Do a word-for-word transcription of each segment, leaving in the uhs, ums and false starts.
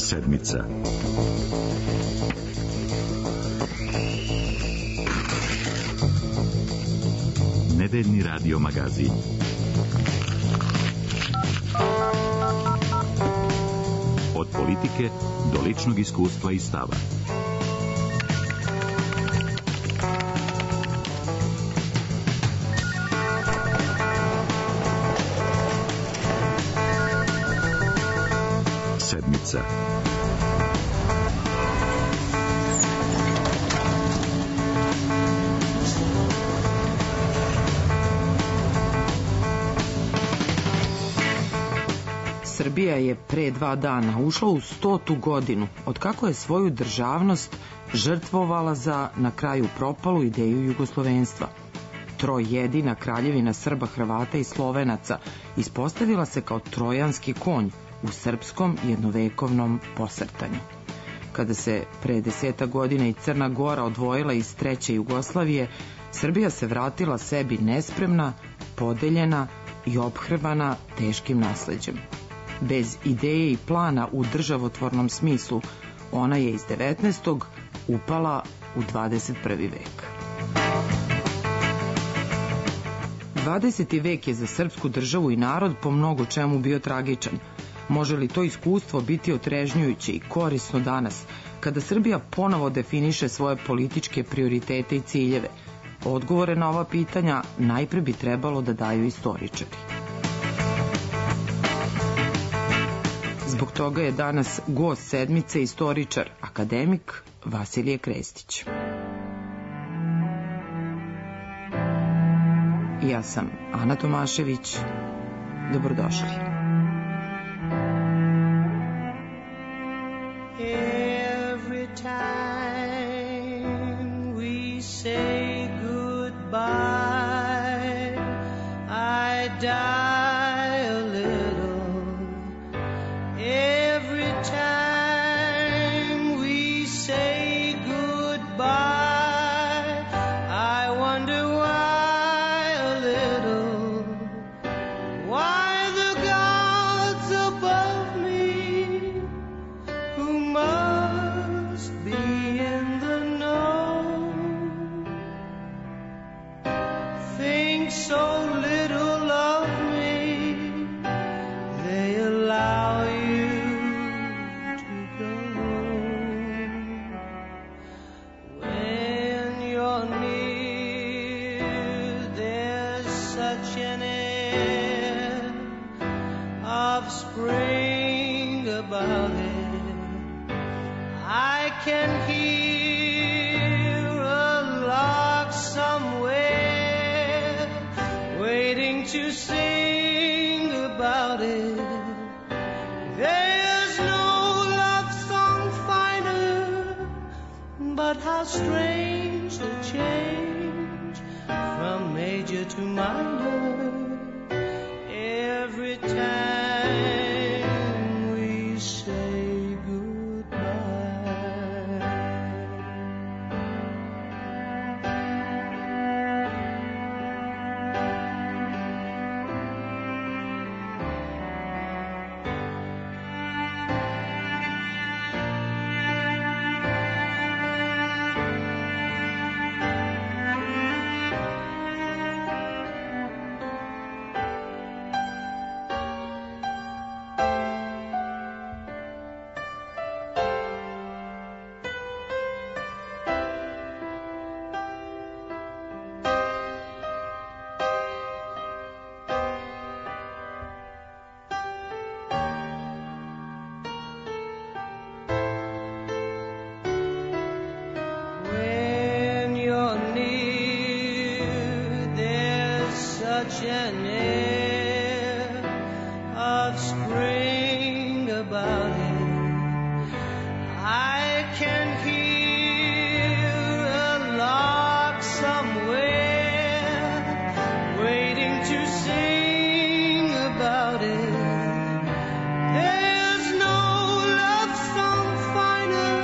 Sedmica. Nedeljni radio magazin. Od politike do ličnog iskustva i stava. Sedmica. Srbija je pre dva dana ušla u stotu godinu od kako je svoju državnost žrtvovala za na kraju propalu ideju jugoslovenstva. Trojedina kraljevina Srba, Hrvata i Slovenaca ispostavila se kao trojanski konj u srpskom jednovekovnom posrtanju. Kada se pre deseta godina i Crna Gora odvojila iz treće Jugoslavije, Srbija se vratila sebi nespremna, podeljena i ophrvana teškim nasleđem. Bez ideje i plana u državotvornom smislu, ona je iz devetnaestog upala u dvadeset prvi vek. dvadeseti vek je za srpsku državu i narod po mnogo čemu bio tragičan. Može li to iskustvo biti otrežnjujuće i korisno danas, kada Srbija ponovo definiše svoje političke prioritete i ciljeve? Odgovore na ova pitanja najpre bi trebalo da daju istoričari. Zbog toga je danas gost sedmice istoričar, akademik Vasilije Krestić. Ja sam Ana Tomašević. Dobrodošli. Every time we say goodbye, I die a little. Every time we say goodbye, I wonder why a little, why the gods above me, who must be in the know, think so little of me, they allow you to go. When you're near, there's such an air of spring about it. I can hear a lark somewhere waiting to sing about it. There's no love song finer, but how strange the change from major to minor every time we say goodbye. When you're near, there's such an air of spring about it. I can hear a lark somewhere waiting to sing about it. There's no love song finer,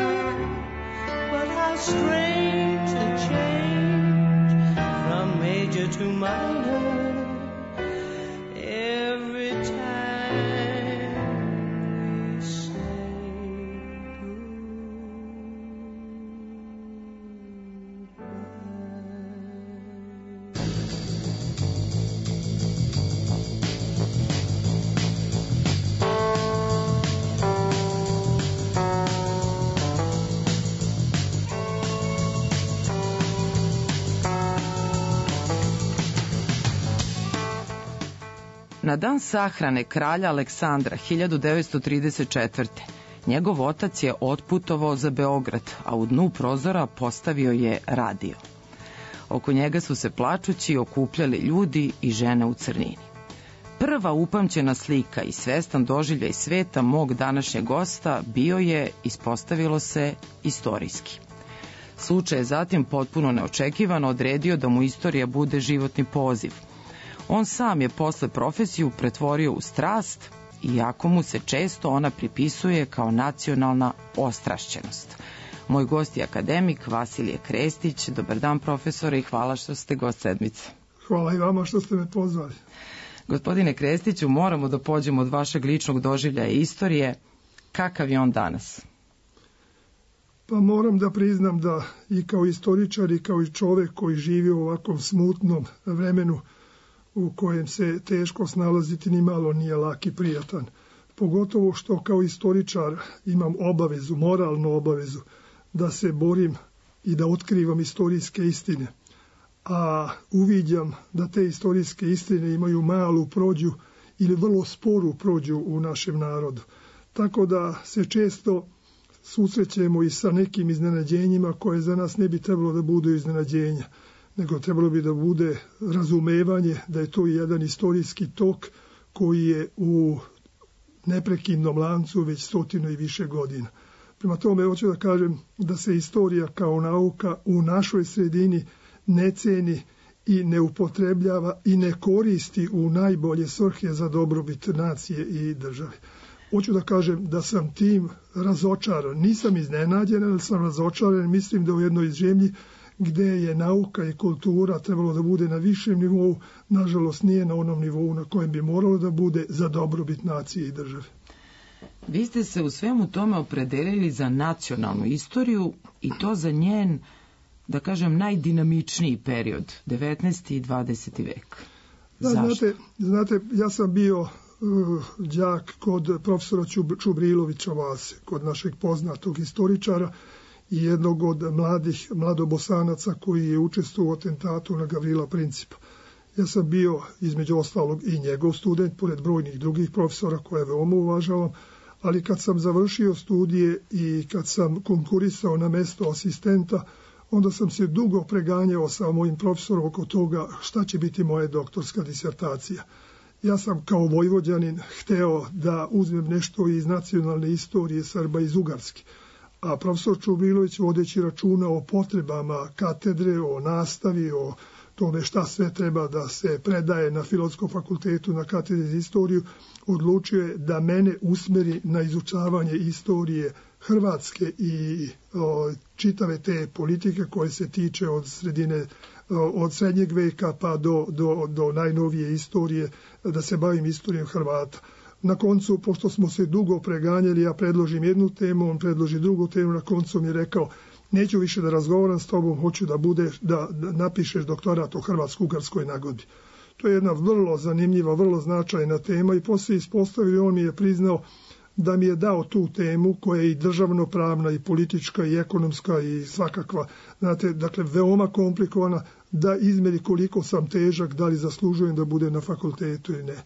but how strange the change from major to minor every time we say Na dan sahrane kralja Aleksandra hiljadu devetsto trideset četvrte. njegov otac je otputovao za Beograd, a u dnu prozora postavio je radio. Oko njega su se plačući okupljali ljudi i žene u crnini. Prva upamćena slika i svestan doživljaj sveta mog današnjeg gosta bio je, ispostavilo se, istorijski. Slučaj je zatim potpuno neočekivano odredio da mu istorija bude životni poziv. On sam je posle profesiju pretvorio u strast, iako mu se često ona pripisuje kao nacionalna ostrašćenost. Moj gost je akademik Vasilije Krestić. Dobar dan, profesore, i hvala što ste gost sedmice. Hvala i vama što ste me pozvali. Gospodine Krestiću, moramo da pođemo od vašeg ličnog doživljaja istorije. Kakav je on danas? Pa moram da priznam da i kao istoričar i kao i čovek koji živi u ovakvom smutnom vremenu u kojem se teško snalaziti ni malo nije lak i prijatan. Pogotovo što kao istoričar imam obavezu, moralnu obavezu, da se borim i da otkrivam istorijske istine. A uviđam da te istorijske istine imaju malu prođu ili vrlo sporu prođu u našem narodu. Tako da se često susrećemo i sa nekim iznenađenjima koje za nas ne bi trebalo da budu iznenađenja, nego trebalo bi da bude razumevanje da je to jedan istorijski tok koji je u neprekidnom lancu već stotinu i više godina. Prema tome hoću da kažem da se istorija kao nauka u našoj sredini ne ceni i ne upotrebljava i ne koristi u najbolje svrhe za dobrobit nacije i države. Hoću da kažem da sam tim razočaran. Nisam iznenađen, ali sam razočaran. Mislim da u jednoj zemlji gde je nauka i kultura trebalo da bude na višem nivou, nažalost nije na onom nivou na kojem bi moralo da bude za dobrobit nacije i države. Vi ste se u svemu tome opredelili za nacionalnu istoriju i to za njen, da kažem, najdinamičniji period, devetnaesti i dvadeseti vek. Da, znate, znate, ja sam bio uh, đak kod profesora Čub, Čubrilovića Vase, kod našeg poznatog istoričara i jednog od mladih mladobosanaca koji je učestvovao u atentatu na Gavrila Principa. Ja sam bio, između ostalog, i njegov student, pored brojnih drugih profesora koje veoma uvažavam, ali kad sam završio studije i kad sam konkurisao na mesto asistenta, onda sam se dugo preganjao sa mojim profesorom oko toga šta će biti moja doktorska disertacija. Ja sam kao Vojvođanin hteo da uzmem nešto iz nacionalne istorije Srba iz Ugarske, a profesor Čubrilović, vodeći računa o potrebama katedre, o nastavi, o tome šta sve treba da se predaje na Filozofskom fakultetu na katedri za istoriju, odlučio je da mene usmeri na izučavanje istorije Hrvatske i o, čitave te politike koje se tiče od sredine, o, od srednjeg veka pa do, do, do najnovije istorije, da se bavim istorijom Hrvata. Na koncu, pošto smo se dugo preganjali, ja predložim jednu temu, on predloži drugu temu, na koncu mi je rekao, neću više da razgovaram s tobom, hoću da budeš, da, da napišeš doktorat o Hrvatsko-Ugarskoj nagodbi. To je jedna vrlo zanimljiva, vrlo značajna tema i poslije ispostavio, on mi je priznao da mi je dao tu temu koja je i državnopravna i politička i ekonomska i svakakva, znate, dakle veoma komplikovana, da izmeri koliko sam težak, da li zaslužujem da bude na fakultetu ili ne.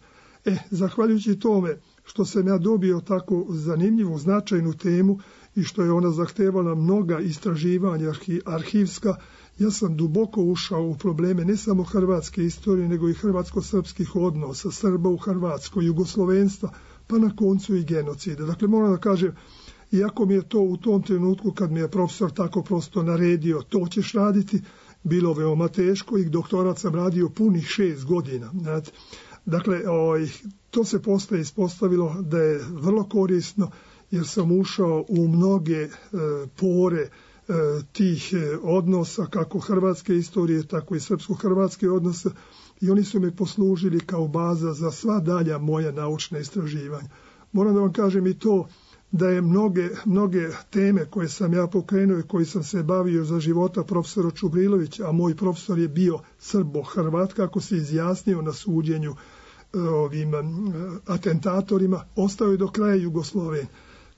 E, zahvaljujući tome što sam ja dobio tako zanimljivu, značajnu temu i što je ona zahtevala mnoga istraživanja arhivska, ja sam duboko ušao u probleme ne samo hrvatske istorije, nego i hrvatsko-srpskih odnosa, Srba u Hrvatskoj, jugoslovenstva, pa na koncu i genocida. Dakle, moram da kažem, iako mi je to u tom trenutku, kad mi je profesor tako prosto naredio, to ćeš raditi, bilo veoma teško i doktorat sam radio punih šest godina. Znate. Dakle, oj, to se posle ispostavilo da je vrlo korisno, jer sam ušao u mnoge e, pore e, tih e, odnosa, kako hrvatske istorije, tako i srpsko-hrvatske odnose, i oni su me poslužili kao baza za sva dalja moja naučna istraživanja. Moram da vam kažem i to da je mnoge, mnoge teme koje sam ja pokrenuo i koji sam se bavio za života profesora Čubrilovića, a moj profesor je bio Srbo-Hrvat, kako se izjasnio na suđenju ovim atentatorima, ostao je do kraja Jugosloven.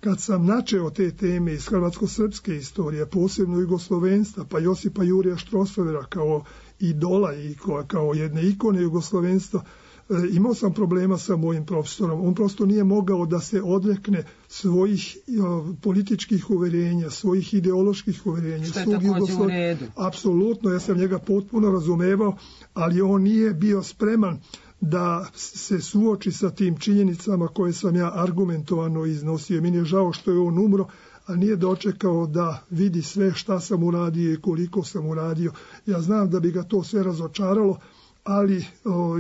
Kad sam načeo te teme iz hrvatsko-srpske istorije, posebno jugoslovenstva, pa Josipa Jurija Štrosovera kao idola i kao jedne ikone jugoslovenstva, imao sam problema sa mojim profesorom. On prosto nije mogao da se odrekne svojih političkih uverenja, svojih ideoloških uverenja. Što je također u redu. Apsolutno, ja sam njega potpuno razumevao, ali on nije bio spreman da se suoči sa tim činjenicama koje sam ja argumentovano iznosio. Meni je žao što je on umro, a nije dočekao da vidi sve šta sam uradio i koliko sam uradio. Ja znam da bi ga to sve razočaralo, ali o,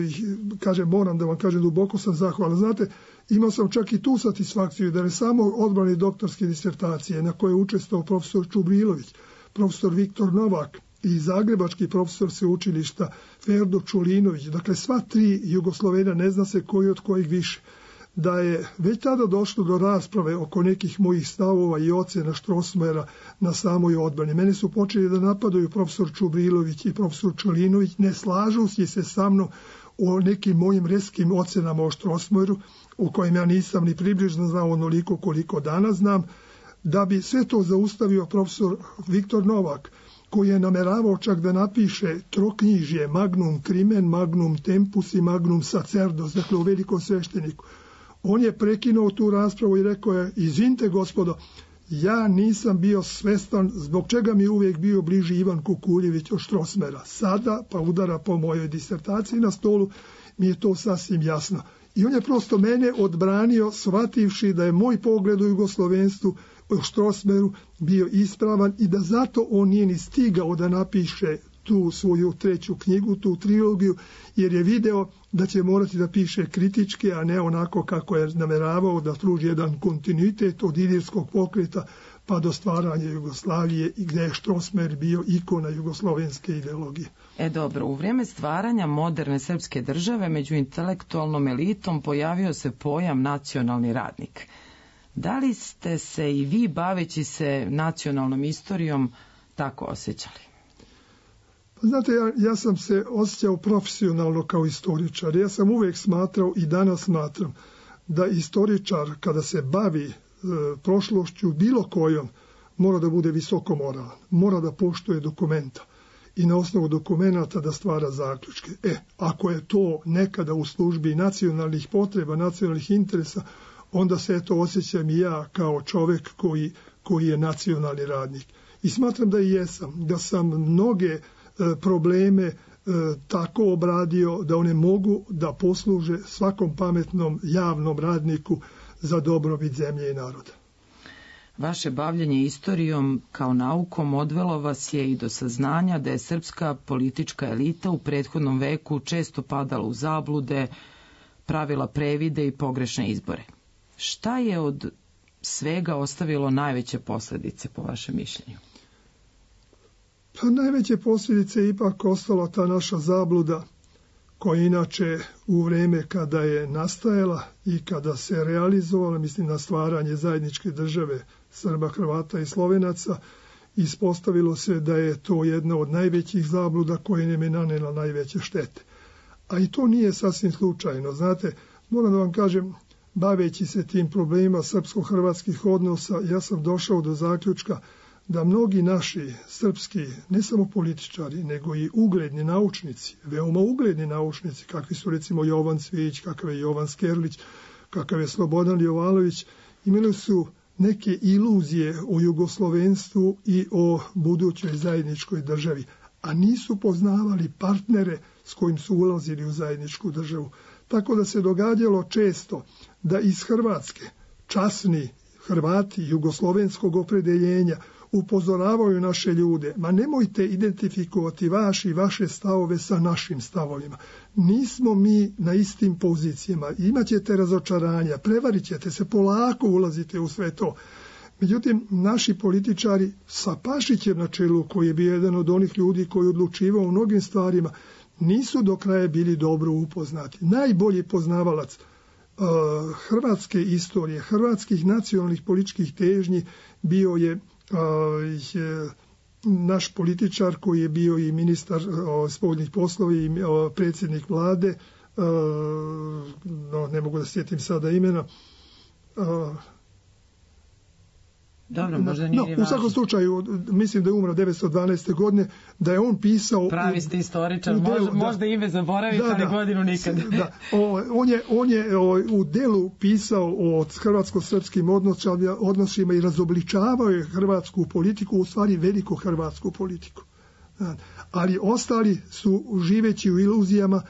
kažem, moram da vam kažem, duboko sam zahvalan. Znate, imao sam čak i tu satisfakciju da ne samo odbrani doktorske disertacije na koje je učestvovao profesor Čubrilović, profesor Viktor Novak i zagrebački profesor sveučilišta Ferdo Čulinović, dakle sva tri Jugoslovena, ne zna se koji od kojih više, da je već tada došlo do rasprave oko nekih mojih stavova i ocena Strossmayera na samoj odbrani. Mene su počeli da napadaju profesor Čubrilović i profesor Čulinović, ne slažući se sa mnom o nekim mojim reskim ocenama o Strossmayeru, o kojim ja nisam ni približno znao onoliko koliko danas znam, da bi sve to zaustavio profesor Viktor Novak, koji je nameravao čak da napiše troknjižje Magnum Crimen, Magnum Tempus i Magnum Sacerdos, dakle u velikom svešteniku. On je prekinuo tu raspravu i rekao je, izvinite gospodo, ja nisam bio svestan zbog čega mi je uvijek bio bliži Ivan Kukuljević od Strossmayera. Sada, pa udara po mojoj disertaciji na stolu, mi je to sasvim jasno. I on je prosto mene odbranio, shvativši da je moj pogled u jugoslovenstvu o Strossmayeru bio ispravan i da zato on nije ni stigao da napiše tu svoju treću knjigu, tu trilogiju, jer je video da će morati da piše kritički, a ne onako kako je nameravao da pruži jedan kontinuitet od ilirskog pokreta pa do stvaranja Jugoslavije i gdje je Strossmayer bio ikona jugoslovenske ideologije. E dobro, u vrijeme stvaranja moderne srpske države među intelektualnom elitom pojavio se pojam nacionalni radnik. Da li ste se i vi, baveći se nacionalnom istorijom, tako osjećali? Znate, ja, ja sam se osjećao profesionalno kao istoričar. Ja sam uvijek smatrao i danas smatram da istoričar kada se bavi e, prošlošću bilo kojom mora da bude visoko moralan, mora da poštuje dokumenta i na osnovu dokumenata da stvara zaključke. E, ako je to nekada u službi nacionalnih potreba, nacionalnih interesa, onda se eto osjećam i ja kao čovjek koji, koji je nacionalni radnik. I smatram da i jesam, da sam mnoge e, probleme e, tako obradio da one mogu da posluže svakom pametnom javnom radniku za dobrobit zemlje i naroda. Vaše bavljenje istorijom kao naukom odvelo vas je i do saznanja da je srpska politička elita u prethodnom veku često padala u zablude, pravila previde i pogrešne izbore. Šta je od svega ostavilo najveće posljedice po vašem mišljenju? Pa najveće posljedice je ipak ostala ta naša zabluda koja inače u vrijeme kada je nastajala i kada se realizovala, mislim na stvaranje zajedničke države Srba, Hrvata i Slovenaca, ispostavilo se da je to jedna od najvećih zabluda koja nam je nanela najveće štete. A i to nije sasvim slučajno. Znate, moram da vam kažem, baveći se tim problemima srpsko-hrvatskih odnosa, ja sam došao do zaključka da mnogi naši srpski, ne samo političari, nego i ugledni naučnici, veoma ugledni naučnici, kakvi su recimo Jovan Cvijić, kakav je Jovan Skerlić, kakav je Slobodan Jovanović, imali su neke iluzije o jugoslovenstvu i o budućoj zajedničkoj državi, a nisu poznavali partnere s kojim su ulazili u zajedničku državu. Tako da se događalo često da iz Hrvatske časni Hrvati jugoslovenskog opredeljenja upozoravaju naše ljude, ma nemojte identifikovati vaši i vaše stavove sa našim stavovima. Nismo mi na istim pozicijama, imaćete razočaranja, prevarit ćete se, polako ulazite u sve to. Međutim, naši političari sa Pašićem na čelu, koji je bio jedan od onih ljudi koji odlučivao u mnogim stvarima, nisu do kraja bili dobro upoznati. Najbolji poznavalac uh, hrvatske istorije, hrvatskih nacionalnih političkih težnji bio je uh, naš političar koji je bio i ministar uh, spoljnih poslova i uh, predsjednik vlade, uh, no, ne mogu da sjetim sada imena, uh, Dobro, možda nije no, važno. U svakom slučaju, mislim da je umro devetsto dvanaeste. godine, da je on pisao... Pravi ste istoričar, u delu, možda, da, možda ime zaboraviti, da, ali da, godinu nikad. Da, o, on je, on je o, u delu pisao o hrvatsko-srpskim odnosima, odnosima i razobličavao je hrvatsku politiku, u stvari veliku hrvatsku politiku. Da, ali ostali su živeći u iluzijama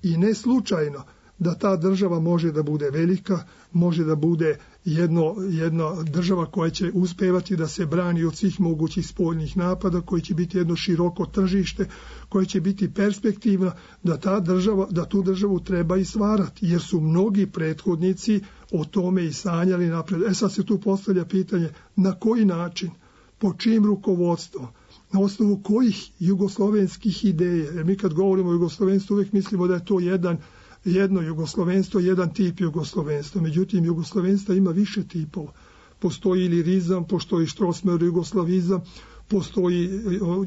i ne slučajno da ta država može da bude velika, može da bude jedno, jedna država koja će uspevati da se brani od svih mogućih spoljnih napada, koji će biti jedno široko tržište, koje će biti perspektivna, da ta država, da tu državu treba i stvarati, jer su mnogi prethodnici o tome i sanjali napred. E sad se tu postavlja pitanje na koji način, po čijim rukovodstvom, na osnovu kojih jugoslovenskih ideja, jer mi kad govorimo o jugoslovenstvu uvijek mislimo da je to jedan jedno jugoslovenstvo, jedan tip jugoslovenstva. Međutim, jugoslovenstva ima više tipova. Postoji ilirizam, postoji štrosmer jugoslavizam, postoji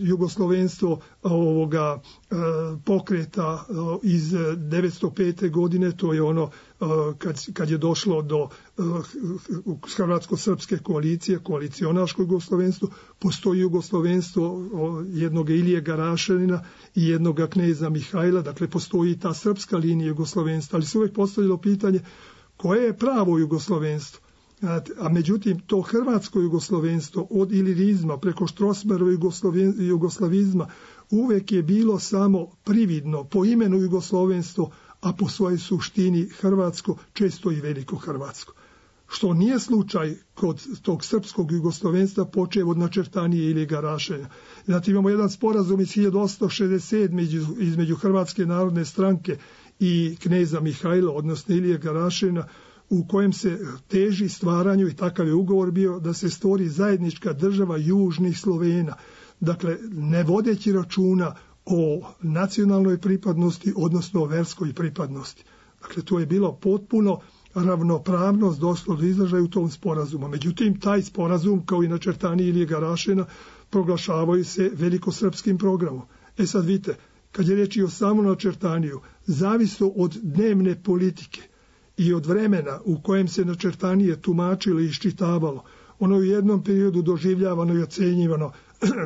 jugoslovenstvo ovoga pokreta iz devetsto pete. godine, to je ono kad, kad je došlo do hrvatsko-srpske koalicije, koalicionaško jugoslovenstvo, postoji jugoslovenstvo jednog Ilije Garašanina i jednog kneza Mihajla, dakle postoji ta srpska linija jugoslovenstva, ali se uvijek postavljalo pitanje koje je pravo jugoslovenstvo. A međutim, to hrvatsko jugoslovenstvo od ilirizma preko štrosmerova jugoslavizma uvek je bilo samo prividno, po imenu jugoslovenstvo, a po svojoj suštini hrvatsko, često i veliko hrvatsko. Što nije slučaj kod tog srpskog jugoslovenstva počev od načrtanije ili Garašenja. Znači imamo jedan sporazum iz hiljadu osamsto šezdeset sedme. između Hrvatske narodne stranke i kneza Mihajla, odnosno Ilije Garašena, u kojem se teži stvaranju, i takav je ugovor bio, da se stvori zajednička država južnih Slovena. Dakle, ne vodeći računa o nacionalnoj pripadnosti, odnosno o verskoj pripadnosti. Dakle, to je bilo potpuno ravnopravnost došlo do izražaja u tom sporazumu. Međutim, taj sporazum, kao i načrtani Ilije Garašena, proglašavaju se velikosrpskim programom. E sad vidite, kad je reč i o samom načrtaniju, zavisno od dnevne politike i od vremena u kojem se načrtanije tumačilo i iščitavalo, ono je u jednom periodu doživljavano i ocenjivano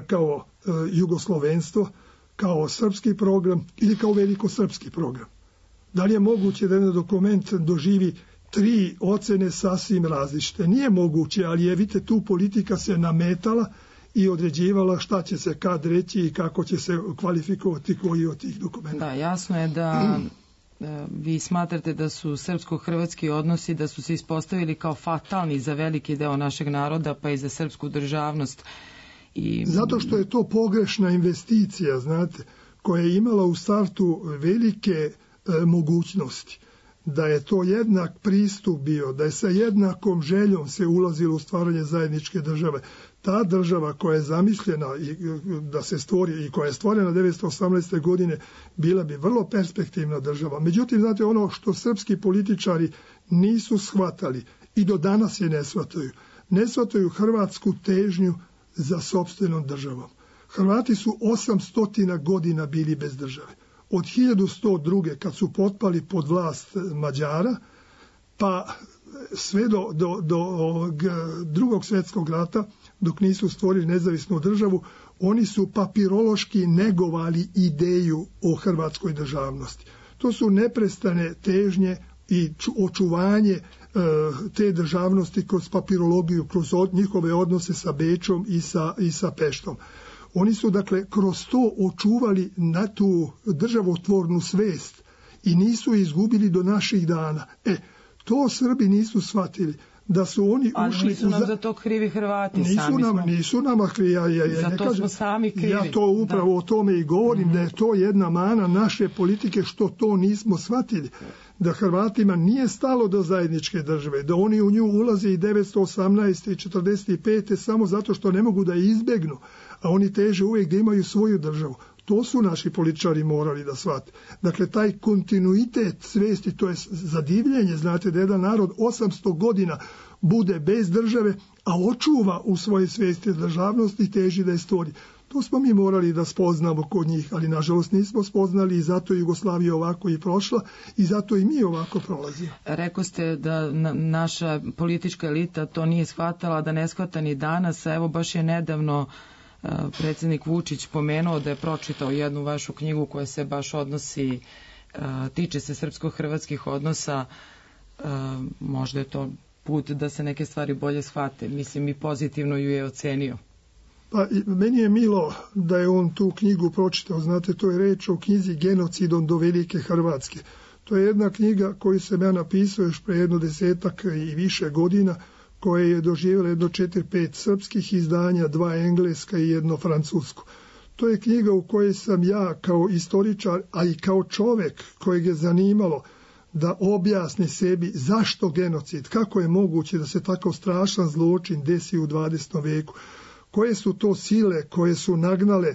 kao e, jugoslovenstvo, kao srpski program ili kao velikosrpski program. Da li je moguće da jedan dokument doživi tri ocene sasvim različite? Nije moguće, ali je, vidite, tu politika se nametala i određivala šta će se kad reći i kako će se kvalifikovati koji od tih dokumenta. Da, jasno je da vi smatrate da su srpsko-hrvatski odnosi, da su se ispostavili kao fatalni za veliki deo našeg naroda, pa i za srpsku državnost. I... Zato što je to pogrešna investicija, znate, koja je imala u startu velike e, mogućnosti. Da je to jednak pristup bio, da je sa jednakom željom se ulazilo u stvaranje zajedničke države. Ta država koja je zamišljena i da se stvori i koja je stvorena devetsto osamnaeste. godine bila bi vrlo perspektivna država. Međutim, znate, ono što srpski političari nisu shvatali i do danas je ne shvataju. Ne shvataju hrvatsku težnju za sopstvenom državom. Hrvati su osamsto godina bili bez države. Od hiljadu sto druge. kad su potpali pod vlast Mađara, pa sve do, do, do drugog svjetskog rata, dok nisu stvorili nezavisnu državu, oni su papirološki negovali ideju o hrvatskoj državnosti. To su neprestane težnje i očuvanje e, te državnosti kroz papirologiju, kroz od, njihove odnose sa Bečom i sa, i sa Peštom. Oni su, dakle, kroz to očuvali na tu državotvornu svest i nisu izgubili do naših dana. E, to Srbi nisu shvatili. Da su oni ali ušli nisu nam za... za to krivi Hrvati. Nisu, sami nam, smo... nisu nama krivi. Ja, ja, ja, za ne to kažem, smo sami krivi. Ja to upravo da. o tome i govorim, mm-hmm. da je to jedna mana naše politike što to nismo shvatili. Da Hrvatima nije stalo do zajedničke države, da oni u nju ulaze i devetsto osamnaeste. i četrdeset pete. samo zato što ne mogu da je izbegnu, a oni teže uvijek da imaju svoju državu. To su naši političari morali da shvate. Dakle, taj kontinuitet svesti, to je zadivljenje, znate, da jedan narod osamsto godina bude bez države, a očuva u svojoj svesti državnosti i teži da je stvori. To smo mi morali da spoznamo kod njih, ali nažalost nismo spoznali i zato je Jugoslavija ovako i prošla i zato i mi ovako prolazimo. Rekao ste da na, naša politička elita to nije shvatala, da ne shvata ni danas, a evo baš je nedavno uh, predsjednik Vučić pomenuo da je pročitao jednu vašu knjigu koja se baš odnosi, uh, tiče se srpsko-hrvatskih odnosa, uh, možda je to put da se neke stvari bolje shvate, mislim i pozitivno ju je ocenio. Pa meni je milo da je on tu knjigu pročitao, znate, to je reč o knjizi Genocidom do Velike Hrvatske. To je jedna knjiga koju sam ja napisao još pre jedno desetak i više godina, koja je doživjela jedno četiri, pet srpskih izdanja, dva engleska i jedno francusko. To je knjiga u kojoj sam ja kao istoričar, a i kao čovek kojeg je zanimalo da objasni sebi zašto genocid, kako je moguće da se takav strašan zločin desi u dvadesetom veku, koje su to sile koje su nagnale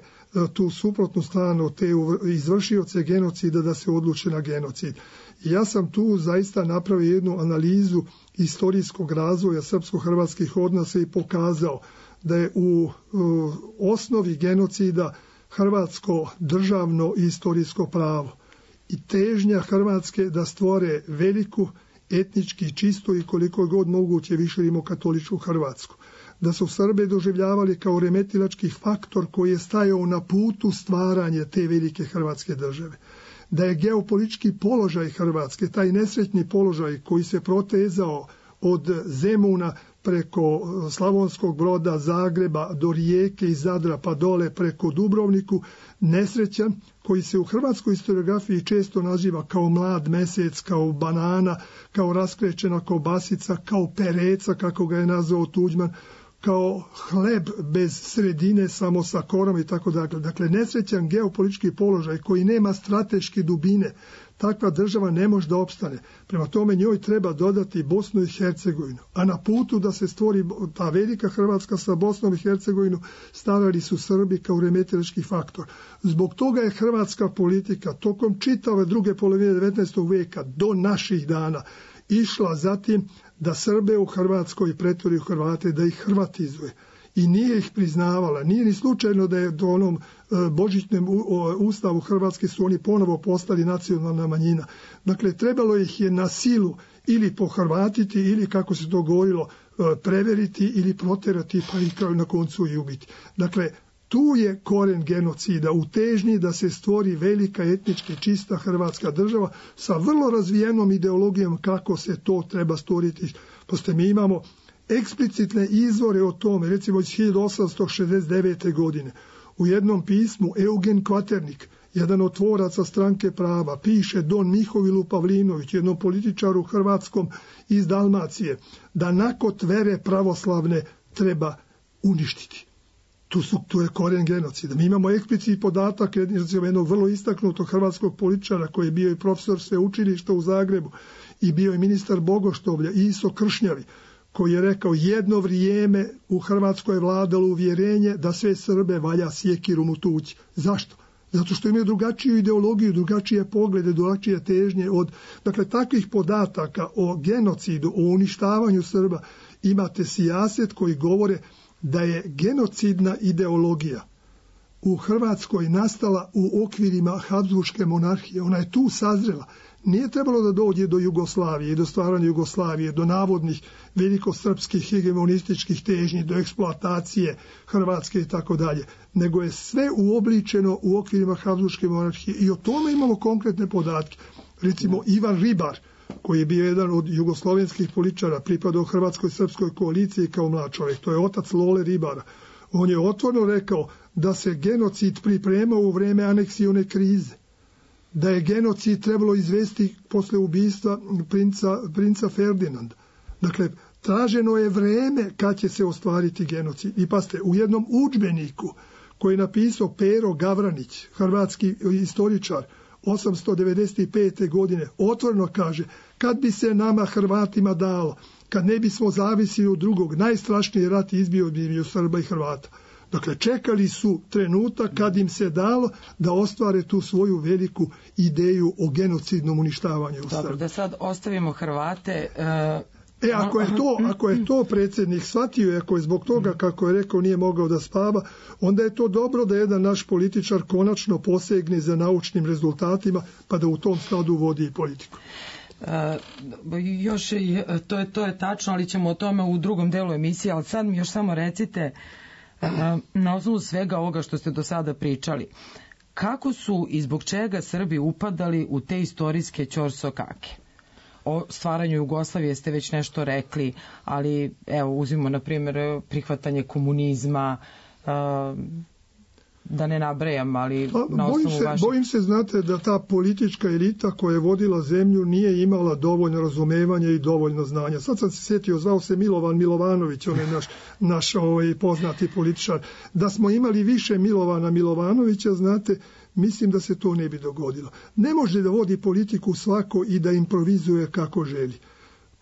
tu suprotnu stranu, te izvršioce genocida da se odluče na genocid. I ja sam tu zaista napravio jednu analizu istorijskog razvoja srpsko-hrvatskih odnosa i pokazao da je u uh, osnovi genocida hrvatsko državno i istorijsko pravo i težnja Hrvatske da stvore veliku, etnički čistu i koliko god moguće više rimokatoličku Hrvatsku. Da su Srbe doživljavali kao remetilački faktor koji je stajao na putu stvaranja te velike Hrvatske države. Da je geopolitički položaj Hrvatske, taj nesretni položaj koji se protezao od Zemuna preko Slavonskog Broda, Zagreba, do Rijeke i Zadra pa dole preko Dubrovniku, nesrećan, koji se u hrvatskoj historiografiji često naziva kao mlad mesec, kao banana, kao raskrećena kobasica, kao pereca, kako ga je nazvao Tuđman, kao hleb bez sredine, samo sa korom i tako dakle. Dakle, nesrećan geopolitički položaj koji nema strateške dubine, takva država ne može da opstane. Prema tome njoj treba dodati Bosnu i Hercegovinu. A na putu da se stvori ta velika Hrvatska sa Bosnom i Hercegovinom stavili su Srbi kao remetilački faktor. Zbog toga je hrvatska politika tokom čitave druge polovine devetnaestog veka do naših dana išla zatim da Srbe u Hrvatskoj pretvori u Hrvate, da ih hrvatizuje. I nije ih priznavala. Nije ni slučajno da je do onom božićnem ustavu Hrvatske su oni ponovo postali nacionalna manjina. Dakle, trebalo ih je na silu ili pohrvatiti ili, kako se to govorilo, preveriti ili proterati, pa i na koncu i ubiti. Dakle, tu je koren genocida u težnji da se stvori velika etnički čista Hrvatska država sa vrlo razvijenom ideologijom kako se to treba stvoriti. Pošto mi imamo eksplicitne izvore o tome, recimo iz hiljadu osamsto šezdeset devete. godine. U jednom pismu Eugen Kvaternik, jedan od tvoraca Stranke prava, piše Don Mihovilu Pavlinović, jednom političaru hrvatskom iz Dalmacije, da nakot vere pravoslavne treba uništiti. Tu, su, tu je koren genocida. Mi imamo eksplicitni podatak jednog vrlo istaknutog hrvatskog političara koji je bio i profesor sveučilišta u Zagrebu i bio je ministar Bogoštovlja, Iso Kršnjavi, koji je rekao jedno vrijeme u Hrvatskoj je vladalo uvjerenje da sve Srbe valja sjekirom utući. Zašto? Zato što imaju drugačiju ideologiju, drugačije poglede, drugačije težnje od... Dakle, takvih podataka o genocidu, o uništavanju Srba imate sijaset koji govore da je genocidna ideologija u Hrvatskoj nastala u okvirima Habsburške monarhije. Ona je tu sazrela. Nije trebalo da dođe do Jugoslavije, do stvaranja Jugoslavije, do navodnih velikosrpskih hegemonističkih težnji, do eksploatacije Hrvatske i tako dalje, nego je sve uobličeno u okvirima Habsburške monarhije i o tome imamo konkretne podatke. Recimo Ivan Ribar, koji je bio jedan od jugoslovenskih političara, pripadao Hrvatskoj srpskoj koaliciji kao mlad čovjek, to je otac Lole Ribara. On je otvoreno rekao da se genocid pripremao u vreme aneksione krize, da je genocid trebalo izvesti posle ubistva princa, princa Ferdinanda. Dakle, traženo je vreme kad će se ostvariti genocid. I paste, u jednom udžbeniku koji je napisao Pero Gavranić, hrvatski istoričar, osamsto devedeset pete. godine, otvoreno kaže, kad bi se nama Hrvatima dalo, kad ne bismo zavisili od drugog, najstrašniji rat izbio bi od Srba i Hrvata. Dakle, čekali su trenutak kad im se dalo da ostvare tu svoju veliku ideju o genocidnom uništavanju u Srbiji. Dobro, da sad ostavimo Hrvate. E, E, ako je to, ako je to predsjednik shvatio i ako je zbog toga, kako je rekao, nije mogao da spava, onda je to dobro da jedan naš političar konačno posegne za naučnim rezultatima, pa da u tom skladu vodi i politiku. E, još je, to je, to je tačno, ali ćemo o tome u drugom delu emisije, ali sad mi još samo recite, e, na osnovu svega ovoga što ste do sada pričali, kako su i zbog čega Srbi upadali u te istorijske ćorsokake? O stvaranju Jugoslavije ste već nešto rekli, ali evo uzmimo na primjer prihvatanje komunizma, da ne nabrajam, ali pa, na bojim osnovu se, vašeg... Bojim se, znate, da ta politička elita koja je vodila zemlju nije imala dovoljno razumevanja i dovoljno znanja. Sad sam se sjetio, zvao se Milovan Milovanović, on je naš, naš ovaj, poznati političar. Da smo imali više Milovana Milovanovića, znate, mislim da se to ne bi dogodilo. Ne može da vodi politiku svako i da improvizuje kako želi.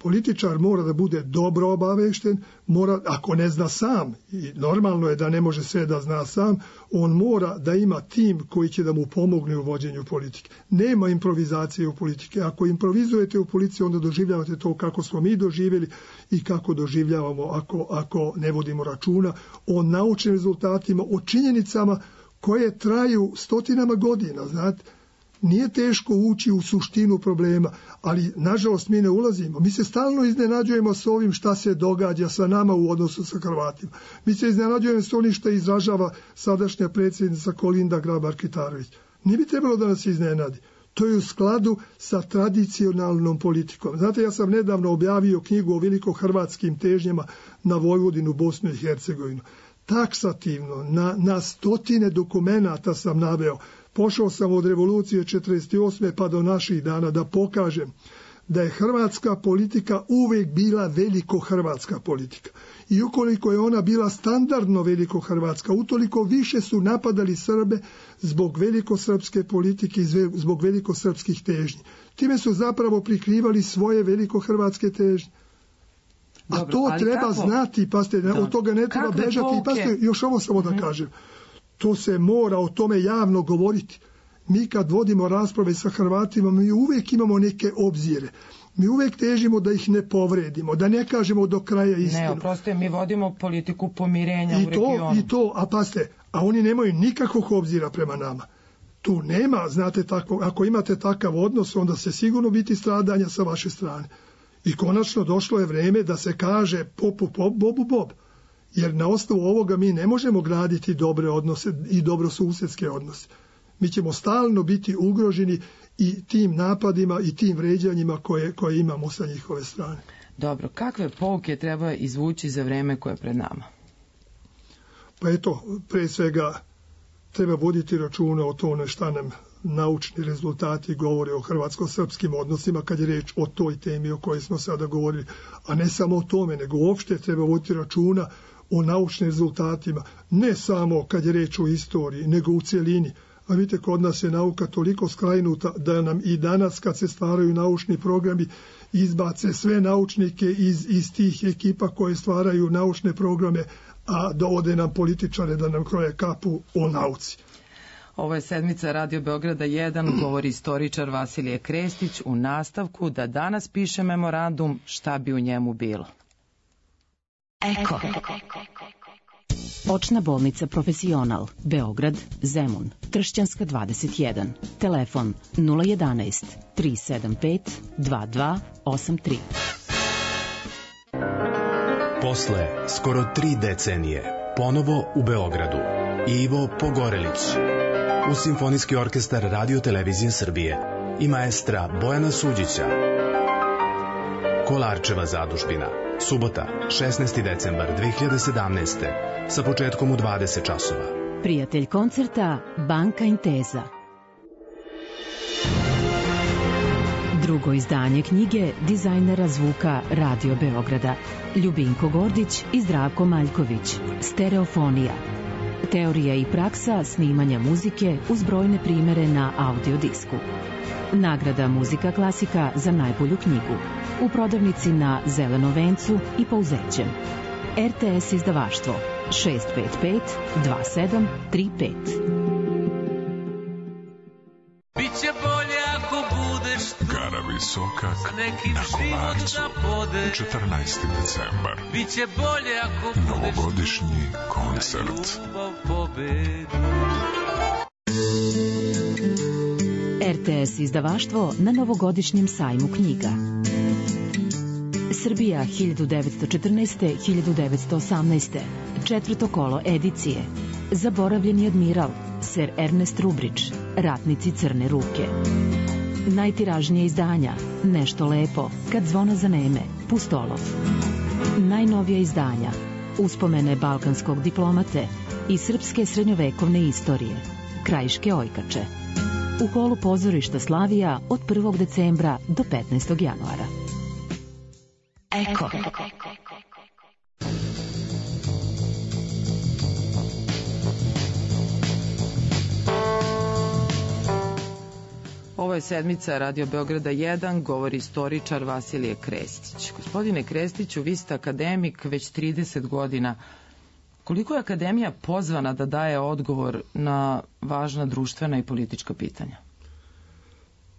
Političar mora da bude dobro obavešten, mora, ako ne zna sam, i normalno je da ne može sve da zna sam, on mora da ima tim koji će da mu pomogne u vođenju politike. Nema improvizacije u politike. Ako improvizujete u politici, onda doživljavate to kako smo mi doživjeli i kako doživljavamo ako, ako ne vodimo računa o naučnim rezultatima, o činjenicama koje traju stotinama godina, znate. Nije teško ući u suštinu problema, ali nažalost mi ne ulazimo. Mi se stalno iznenađujemo s ovim šta se događa sa nama u odnosu sa Hrvatima. Mi se iznenađujemo s onim što izražava sadašnja predsjednica Kolinda Grabar-Kitarović. Nije bi trebalo da nas iznenadi. To je u skladu sa tradicionalnom politikom. Znate, ja sam nedavno objavio knjigu o velikohrvatskim težnjama na Vojvodinu, Bosnu i Hercegovinu. Taksativno, na, na stotine dokumenata sam naveo. Pošao sam od revolucije četrdeset osme pa do naših dana da pokažem da je hrvatska politika uvijek bila velikohrvatska politika. I ukoliko je ona bila standardno velikohrvatska, utoliko više su napadali Srbe zbog velikosrpske politike i zbog velikosrpskih težnji. Time su zapravo prikrivali svoje velikohrvatske težnje. A dobro, to treba kako? znati, paste, da. od toga ne treba Kakve bežati. I paste, još ovo samo da kažem. To se mora o tome javno govoriti. Mi kad vodimo rasprave sa Hrvatima, mi uvijek imamo neke obzire. Mi uvijek težimo da ih ne povredimo, da ne kažemo do kraja istinu. Ne, oprostite, mi vodimo politiku pomirenja I u regionu. To, I to, a paste, a oni nemaju nikakvog obzira prema nama. Tu nema, znate, tako, ako imate takav odnos, onda se sigurno biti stradanja sa vaše strane. I konačno došlo je vrijeme da se kaže popu pop, bobu bob. Jer na osnovu ovoga mi ne možemo graditi dobre odnose i dobrosusjedske odnose. Mi ćemo stalno biti ugroženi i tim napadima i tim vređanjima koje, koje imamo sa njihove strane. Dobro, kakve pouke treba izvući za vreme koje je pred nama? Pa eto, pre svega treba voditi računa o tome šta nam naučni rezultati govore o hrvatsko-srpskim odnosima kad je reč o toj temi o kojoj smo sada govorili. A ne samo o tome, nego uopšte treba voditi računa o naučnim rezultatima, ne samo kad je reč o istoriji, nego u cjelini. A vidite, kod nas je nauka toliko skrajnuta da nam i danas kad se stvaraju naučni programi izbace sve naučnike iz, iz tih ekipa koje stvaraju naučne programe, a dovode nam političare da nam kroje kapu o nauci. Ovo je sedmica Radio Beograda jedan, govori istoričar Vasilije Krestić u nastavku da danas piše memorandum šta bi u njemu bilo. Eko. Očna bolnica Profesional, Beograd, Zemun, Tršćanska dvadeset jedan. Telefon nula jedanaest tri sedam pet dva dva osam tri. Posle skoro tri decenije, ponovo u Beogradu, Ivo Pogorelić, uz Simfonijski orkestar Radio Televizije Srbije i maestra Bojana Suđića. Kolarčeva zadužbina, subota, šesnaesti decembar dve hiljade sedamnaeste. sa početkom u dvadeset časova. Prijatelj koncerta Banka Intesa. Drugo izdanje knjige dizajnera zvuka Radio Beograda Ljubinko Gordić i Zdravko Maljković. Stereofonija. Teorija i praksa snimanja muzike uz brojne primere na audiodisku. Nagrada Muzika klasika za najbolju knjigu. U prodavnici na Zelenom vencu i Pouzećem. R T S izdavaštvo šest pet pet dva sedam tri pet. Biće bolje ako budeš tu. Gotta be Visokak na Kolarcu. četrnaesti decembar. Biće bolje ako budeš novogodišnji koncert. R T S izdavaštvo na novogodišnjem sajmu knjiga. Srbija hiljadu devetsto četrnaeste do hiljadu devetsto osamnaeste. Četvrto kolo edicije. Zaboravljeni admiral, ser Ernest Rubrić, Ratnici crne ruke. Najtiražnije izdanja, Nešto lepo, Kad zvona zaneme, Pustolov. Najnovija izdanja, Uspomene balkanskog diplomate i srpske srednjovekovne istorije, Krajiške ojkače. U holu pozorišta Slavija od prvog decembra do petnaestog januara. Eko. Ovo je sedmica Radio Beograda jedan, govori istoričar Vasilije Krestić. Gospodine Krestiću, vi ste akademik već trideset godina. Koliko je akademija pozvana da daje odgovor na važna društvena i politička pitanja?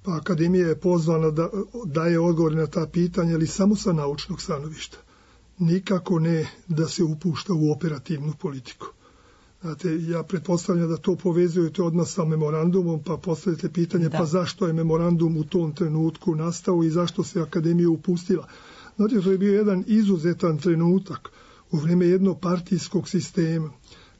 Pa akademija je pozvana da daje odgovor na ta pitanja, ali samo sa naučnog stanovišta. Nikako ne da se upušta u operativnu politiku. Znate, ja pretpostavljam da to povezujete odmah sa memorandumom, pa postavite pitanje da. Pa zašto je memorandum u tom trenutku nastao i zašto se akademija upustila. Znate, to je bio jedan izuzetan trenutak u vrijeme jednopartijskog sistema,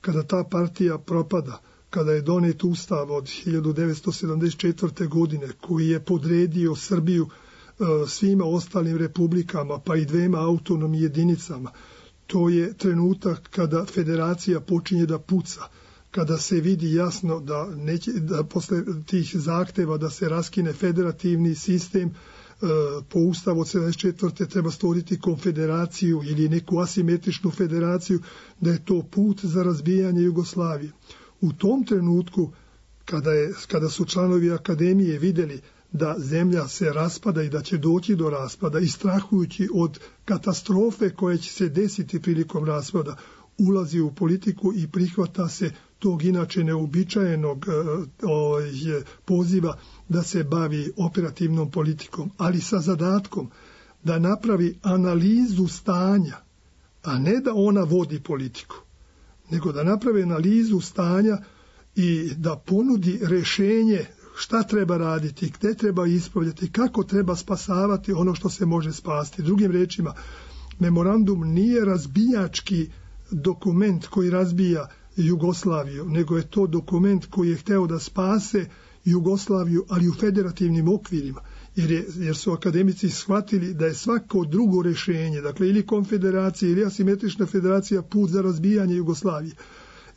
kada ta partija propada, kada je donet ustav od hiljadu devetsto sedamdeset četvrte. godine, koji je podredio Srbiju e, svima ostalim republikama, pa i dvema autonomnim jedinicama. To je trenutak kada federacija počinje da puca, kada se vidi jasno da, neće, da posle tih zahteva da se raskine federativni sistem, e, po ustavu od sedamdeset četvrte. treba stvoriti konfederaciju ili neku asimetričnu federaciju, da je to put za razbijanje Jugoslavije. U tom trenutku, kada, je, kada su članovi akademije vidjeli da zemlja se raspada i da će doći do raspada i strahujući od katastrofe koje će se desiti prilikom raspada, ulazi u politiku i prihvata se tog inače neobičajenog e, poziva da se bavi operativnom politikom, ali sa zadatkom da napravi analizu stanja, a ne da ona vodi politiku, nego da napravi analizu stanja i da ponudi rješenje šta treba raditi, gde treba ispravljati, kako treba spasavati ono što se može spasti. Drugim rečima, memorandum nije razbijački dokument koji razbija Jugoslaviju, nego je to dokument koji je hteo da spase Jugoslaviju, ali u federativnim okvirima. Jer, je, jer su akademici shvatili da je svako drugo rješenje, dakle ili konfederacija ili asimetrična federacija, put za razbijanje Jugoslavije.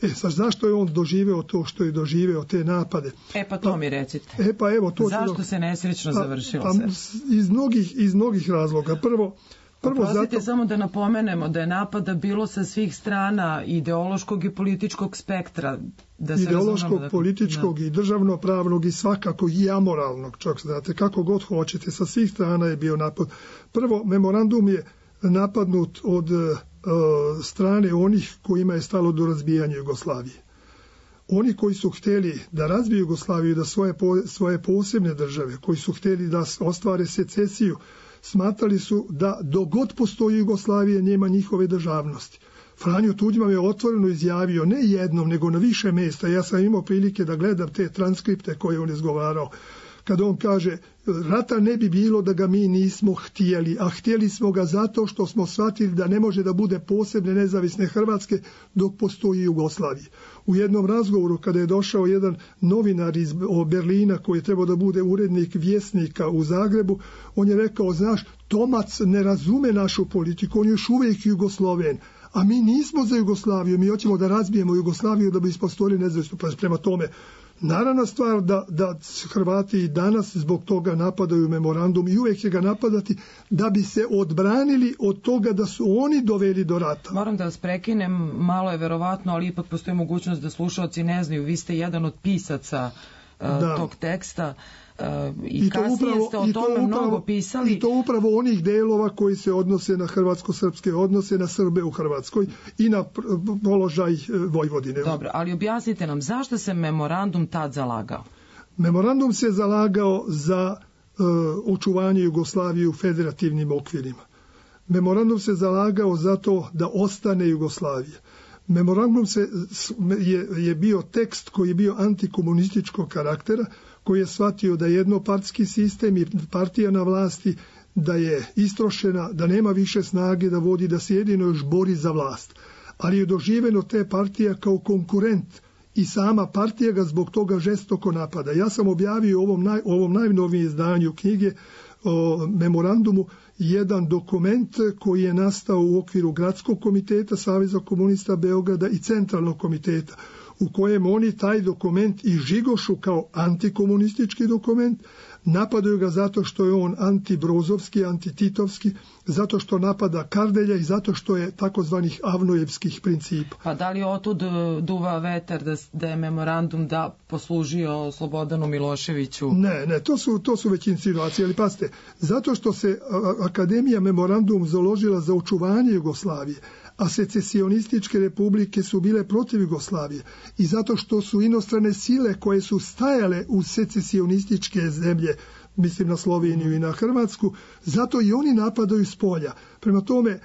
E, sad, zašto je on doživeo to što je doživeo, te napade? E, pa to pa, mi recite. E, pa evo, to zašto do... se nesrećno pa, završilo pa, se? Iz mnogih, iz mnogih razloga. Prvo, prvo Oprostite, zato... samo da napomenemo da je napada bilo sa svih strana ideološkog i političkog spektra. Da se ideološkog, da... političkog da. i državnopravnog i svakako i amoralnog, čak znate, kako god hoćete, sa svih strana je bio napad. Prvo, memorandum je napadnut od strane onih kojima je stalo do razbijanja Jugoslavije. Oni koji su htjeli da razbiju Jugoslaviju, da svoje, svoje posebne države, koji su htjeli da ostvare secesiju, smatrali su da dogod postoji Jugoslavije nema njihove državnosti. Franjo Tuđman je otvoreno izjavio, ne jednom, nego na više mjesta. Ja sam imao prilike da gledam te transkripte koje on izgovarao. Kada on kaže, rata ne bi bilo da ga mi nismo htjeli, a htjeli smo ga zato što smo shvatili da ne može da bude posebne nezavisne Hrvatske dok postoji Jugoslavije. U jednom razgovoru kada je došao jedan novinar iz Berlina koji je trebao da bude urednik Vjesnika u Zagrebu, on je rekao, znaš, Tomac ne razume našu politiku, on je još uvijek Jugosloven, a mi nismo za Jugoslaviju, mi hoćemo da razbijemo Jugoslaviju da bi ispostojili nezavisnu. Prema tome, naravna stvar da, da Hrvati i danas zbog toga napadaju memorandum i uvijek će ga napadati da bi se odbranili od toga da su oni doveli do rata. Moram da vas prekinem, malo je verovatno, ali ipak postoji mogućnost da slušalci ne znaju. Vi ste jedan od pisaca uh, tog teksta. Uh, i, I kasnije upravo, ste o tome upravo, mnogo pisali. I to upravo onih delova koji se odnose na hrvatsko-srpske odnose, na Srbe u Hrvatskoj i na položaj Vojvodine. Dobro, ali objasnite nam zašto se memorandum tad zalagao? Memorandum se zalagao za očuvanje Jugoslavije u federativnim okvirima. Memorandum se zalagao za to da ostane Jugoslavija. Memorandum se, je, je bio tekst koji je bio antikomunističkog karaktera, koji je shvatio da je jednopartijski sistem i partija na vlasti da je istrošena, da nema više snage da vodi, da se jedino još bori za vlast. Ali je doživeno te partija kao konkurent i sama partija ga zbog toga žestoko napada. Ja sam objavio u ovom, naj, ovom najnovijem izdanju knjige o memorandumu jedan dokument koji je nastao u okviru Gradskog komiteta Saveza komunista Beograda i Centralnog komiteta, u kojem oni taj dokument i žigošu kao antikomunistički dokument, napadaju ga zato što je on antibrozovski, antititovski, zato što napada Kardelja i zato što je takozvanih avnojevskih principa. Pa da li otud duva vetar da, da je memorandum da poslužio Slobodanu Miloševiću? Ne, ne, to su, to su već insinuacije, ali pazite, zato što se Akademija memorandum založila za očuvanje Jugoslavije, a secesionističke republike su bile protiv Jugoslavije i zato što su inostrane sile koje su stajale u secesionističke zemlje, mislim na Sloveniju i na Hrvatsku, zato i oni napadaju s polja. Prema tome,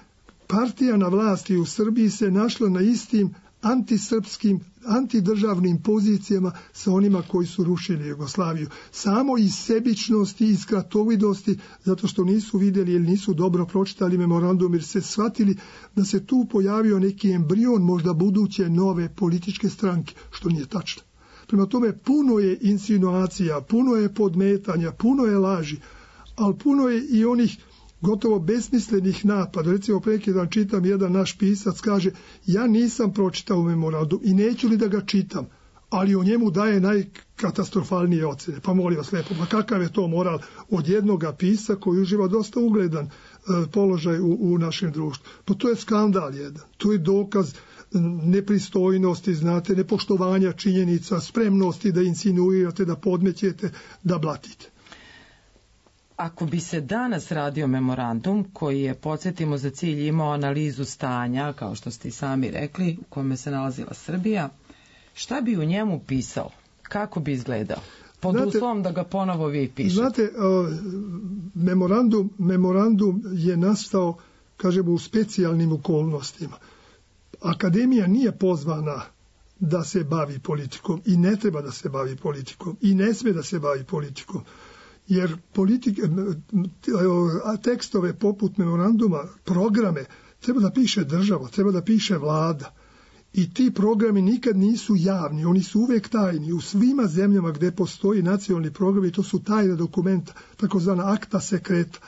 partija na vlasti u Srbiji se našla na istim antisrpskim, antidržavnim pozicijama sa onima koji su rušili Jugoslaviju. Samo iz sebičnosti, iz kratovidosti, zato što nisu vidjeli ili nisu dobro pročitali memorandum, jer se shvatili da se tu pojavio neki embrion možda buduće nove političke stranke, što nije tačno. Prema tome, puno je insinuacija, puno je podmetanja, puno je laži, ali puno je i onih gotovo besmislenih napada. Recimo, preki dan čitam, jedan naš pisac kaže, ja nisam pročitao memorandum i neću li da ga čitam, ali o njemu daje najkatastrofalnije ocene. Pa molim vas lepo, pa kakav je to moral od jednoga pisa koji uživa dosta ugledan e, položaj u, u našem društvu? Pa to je skandal jedan. To je dokaz nepristojnosti, znate, nepoštovanja činjenica, spremnosti da insinuirate, da podmećete, da blatite. Ako bi se danas radio memorandum koji je, podsjetimo, za cilj imao analizu stanja, kao što ste i sami rekli, u kome se nalazila Srbija, šta bi u njemu pisao? Kako bi izgledao? Pod znate, uslovom da ga ponovo vi pišete. Znate, uh, memorandum, memorandum je nastao, kažemo, u specijalnim okolnostima. Akademija nije pozvana da se bavi politikom i ne treba da se bavi politikom i ne sme da se bavi politikom. Jer politike, tekstove poput memoranduma, programe, treba da piše država, treba da piše vlada. I ti programi nikad nisu javni, oni su uvek tajni. U svima zemljama gde postoji nacionalni program, i to su tajna dokumenta, takozvana akta sekreta.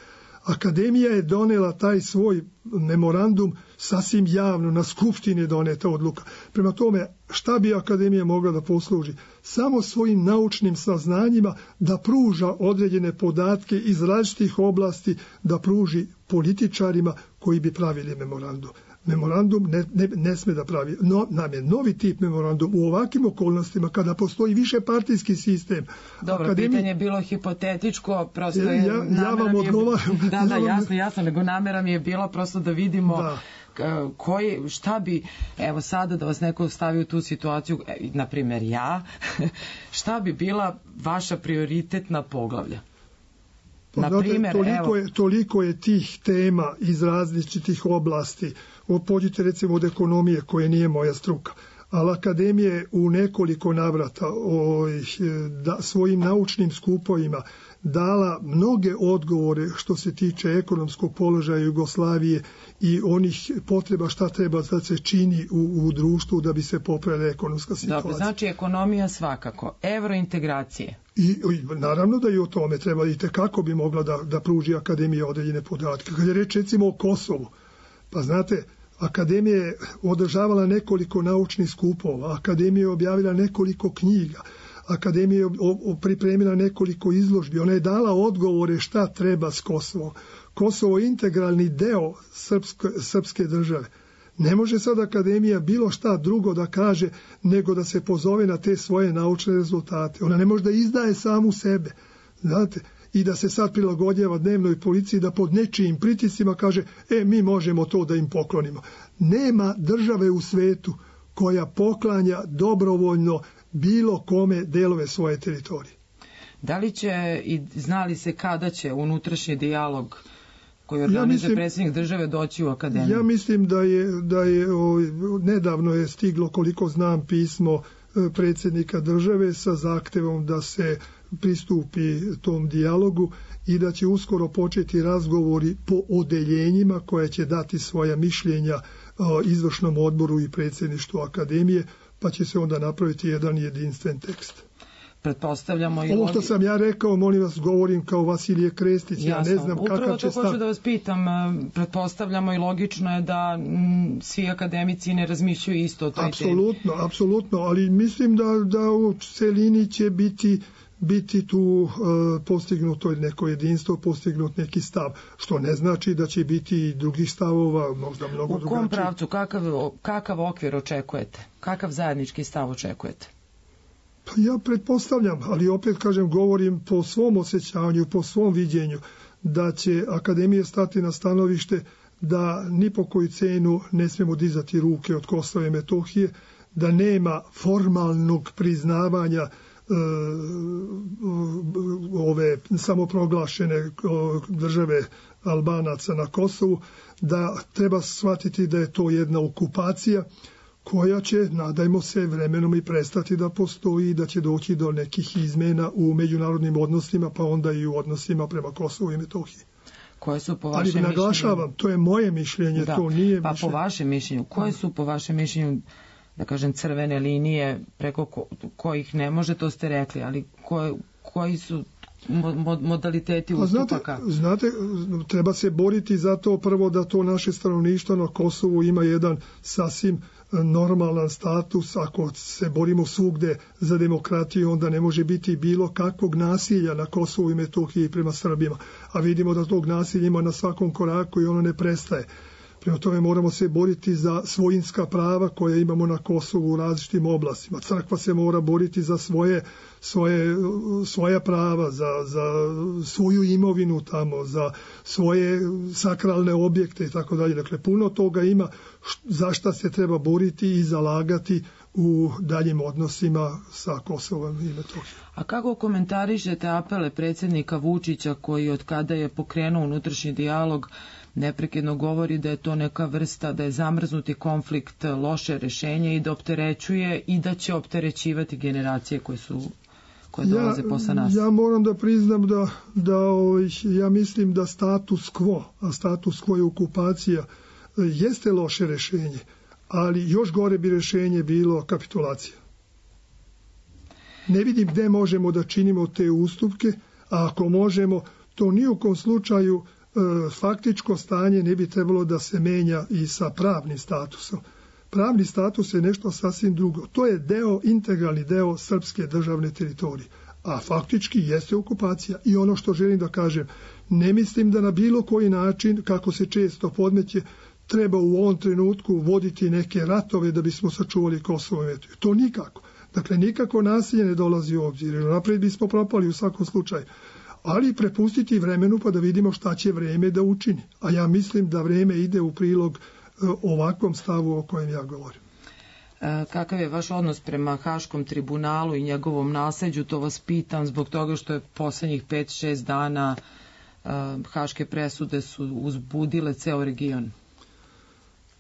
Akademija je donela taj svoj memorandum sasvim javno, na skupštini je doneta odluka. Prema tome, šta bi Akademija mogla da posluži? Samo svojim naučnim saznanjima da pruža određene podatke iz različitih oblasti, da pruži političarima koji bi pravili memorandum. Memorandum ne, ne, ne sme da pravi. No, nam je novi tip memorandum u ovakvim okolnostima kada postoji više partijski sistem. Dobro, Akademija... pitanje je bilo hipotetičko, prosto je... Ja, ja vam odgovaram. Je... Da, da, jasno, jasno, nego namera mi je bila prosto da vidimo da. Koji, šta bi, evo sada da vas neko stavi u tu situaciju, na primjer ja, šta bi bila vaša prioritetna poglavlja? Pa, znate, primjer, toliko, evo... je, toliko je tih tema iz različitih oblasti. Pođite recimo od ekonomije, koje nije moja struka. Ali Akademija je u nekoliko navrata o, da, svojim naučnim skupovima dala mnoge odgovore što se tiče ekonomskog položaja Jugoslavije i onih potreba šta treba da se čini u, u društvu da bi se popravila ekonomska situacija. Dobro, znači ekonomija svakako, evrointegracije. I, i naravno da i o tome treba i kako bi mogla da, da pruži Akademija određene podatke. Kad je reč recimo o Kosovu, pa znate, Akademija je održavala nekoliko naučnih skupova, Akademija je objavila nekoliko knjiga, Akademija je pripremila nekoliko izložbi, ona je dala odgovore šta treba s Kosovom. Kosovo je integralni deo srpske, srpske države. Ne može sad Akademija bilo šta drugo da kaže nego da se pozove na te svoje naučne rezultate. Ona ne može da izdaje samu sebe, znate, i da se sad prilagodjava dnevnoj policiji da pod nečijim pritiscima kaže, e, mi možemo to da im poklonimo. Nema države u svetu koja poklanja dobrovoljno bilo kome delove svoje teritorije. Da li će i znali se kada će unutrašnji dijalog koji organizuje ja mislim, predsjednik države doći u akademiju? Ja mislim da je, da je o, nedavno je stiglo, koliko znam, pismo predsjednika države sa zahtevom da se pristupi tom dijalogu i da će uskoro početi razgovori po odeljenjima koje će dati svoja mišljenja o, izvršnom odboru i predsjedništvu akademije, pa će se onda napraviti jedan jedinstven tekst. Pretpostavljamo i ovo što sam ja rekao, molim vas, govorim kao Vasilije Krestić, ja ne znam kakav će stav. Upravo to hoću da vas pitam, pretpostavljamo i logično je da m, svi akademici ne razmišljaju isto o toj apsolutno, temi. Apsolutno, ali mislim da, da u celini će biti biti tu uh, postignuto neko jedinstvo, postignut neki stav, što ne znači da će biti i drugih stavova, možda mnogo drugačiji. U kom pravcu, kakav, kakav okvir očekujete? Kakav zajednički stav očekujete? Pa ja pretpostavljam, ali opet kažem, govorim po svom osjećanju, po svom viđenju, da će akademija stati na stanovište da ni po koju cenu ne smijemo dizati ruke od Kosova i Metohije, da nema formalnog priznavanja ove samoproglašene države Albanaca na Kosovu, da treba shvatiti da je to jedna okupacija koja će, nadajmo se, vremenom i prestati da postoji i da će doći do nekih izmena u međunarodnim odnosima, pa onda i u odnosima prema Kosovu i Metohiji. Koje su po vašem Ali naglašavam, mišljenju... to je moje mišljenje, da, to nije pa mišljenje. Po vašem mišljenju, koje su po vašem mišljenju, da kažem, crvene linije preko ko, kojih ne može, to ste rekli, ali koje, koji su modaliteti ustupaka? Znate, znate, treba se boriti za to prvo da to naše stanovništvo na Kosovu ima jedan sasvim normalan status. Ako se borimo svugde za demokratiju, onda ne može biti bilo kakvog nasilja na Kosovu i Metohiji prema Srbima. A vidimo da tog nasilja ima na svakom koraku i ono ne prestaje. Prema tome moramo se boriti za svojinska prava koja imamo na Kosovu u različitim oblastima. Crkva se mora boriti za svoje, svoje, svoja prava, za, za svoju imovinu tamo, za svoje sakralne objekte i tako dalje. Dakle, puno toga ima za šta se treba boriti i zalagati u daljim odnosima sa Kosovom i Metohijom. A kako komentarišete apele predsjednika Vučića koji od kada je pokrenuo unutrašnji dijalog neprekidno govori da je to neka vrsta, da je zamrznuti konflikt loše rješenje i da opterećuje i da će opterećivati generacije koje su koje dolaze ja, posle nas? Ja moram da priznam da, da ja mislim da status quo, a status quo je okupacija, jeste loše rješenje, ali još gore bi rješenje bilo kapitulacija. Ne vidim gde možemo da činimo te ustupke, a ako možemo, to ni u kom slučaju faktičko stanje ne bi trebalo da se menja i sa pravnim statusom. Pravni status je nešto sasvim drugo. To je deo, integralni deo srpske državne teritorije. A faktički jeste okupacija. I ono što želim da kažem, ne mislim da na bilo koji način, kako se često podmeće, treba u ovom trenutku voditi neke ratove da bismo sačuvali Kosovo i Metohiju. To nikako. Dakle, nikako nasilje ne dolazi u obzir. Napred bismo propali u svakom slučaju. Ali prepustiti vremenu pa da vidimo šta će vreme da učini. A ja mislim da vreme ide u prilog ovakvom stavu o kojem ja govorim. E, kakav je vaš odnos prema Haškom tribunalu i njegovom nasleđu? To vas pitam zbog toga što je posljednjih pet šest dana e, haške presude su uzbudile ceo region.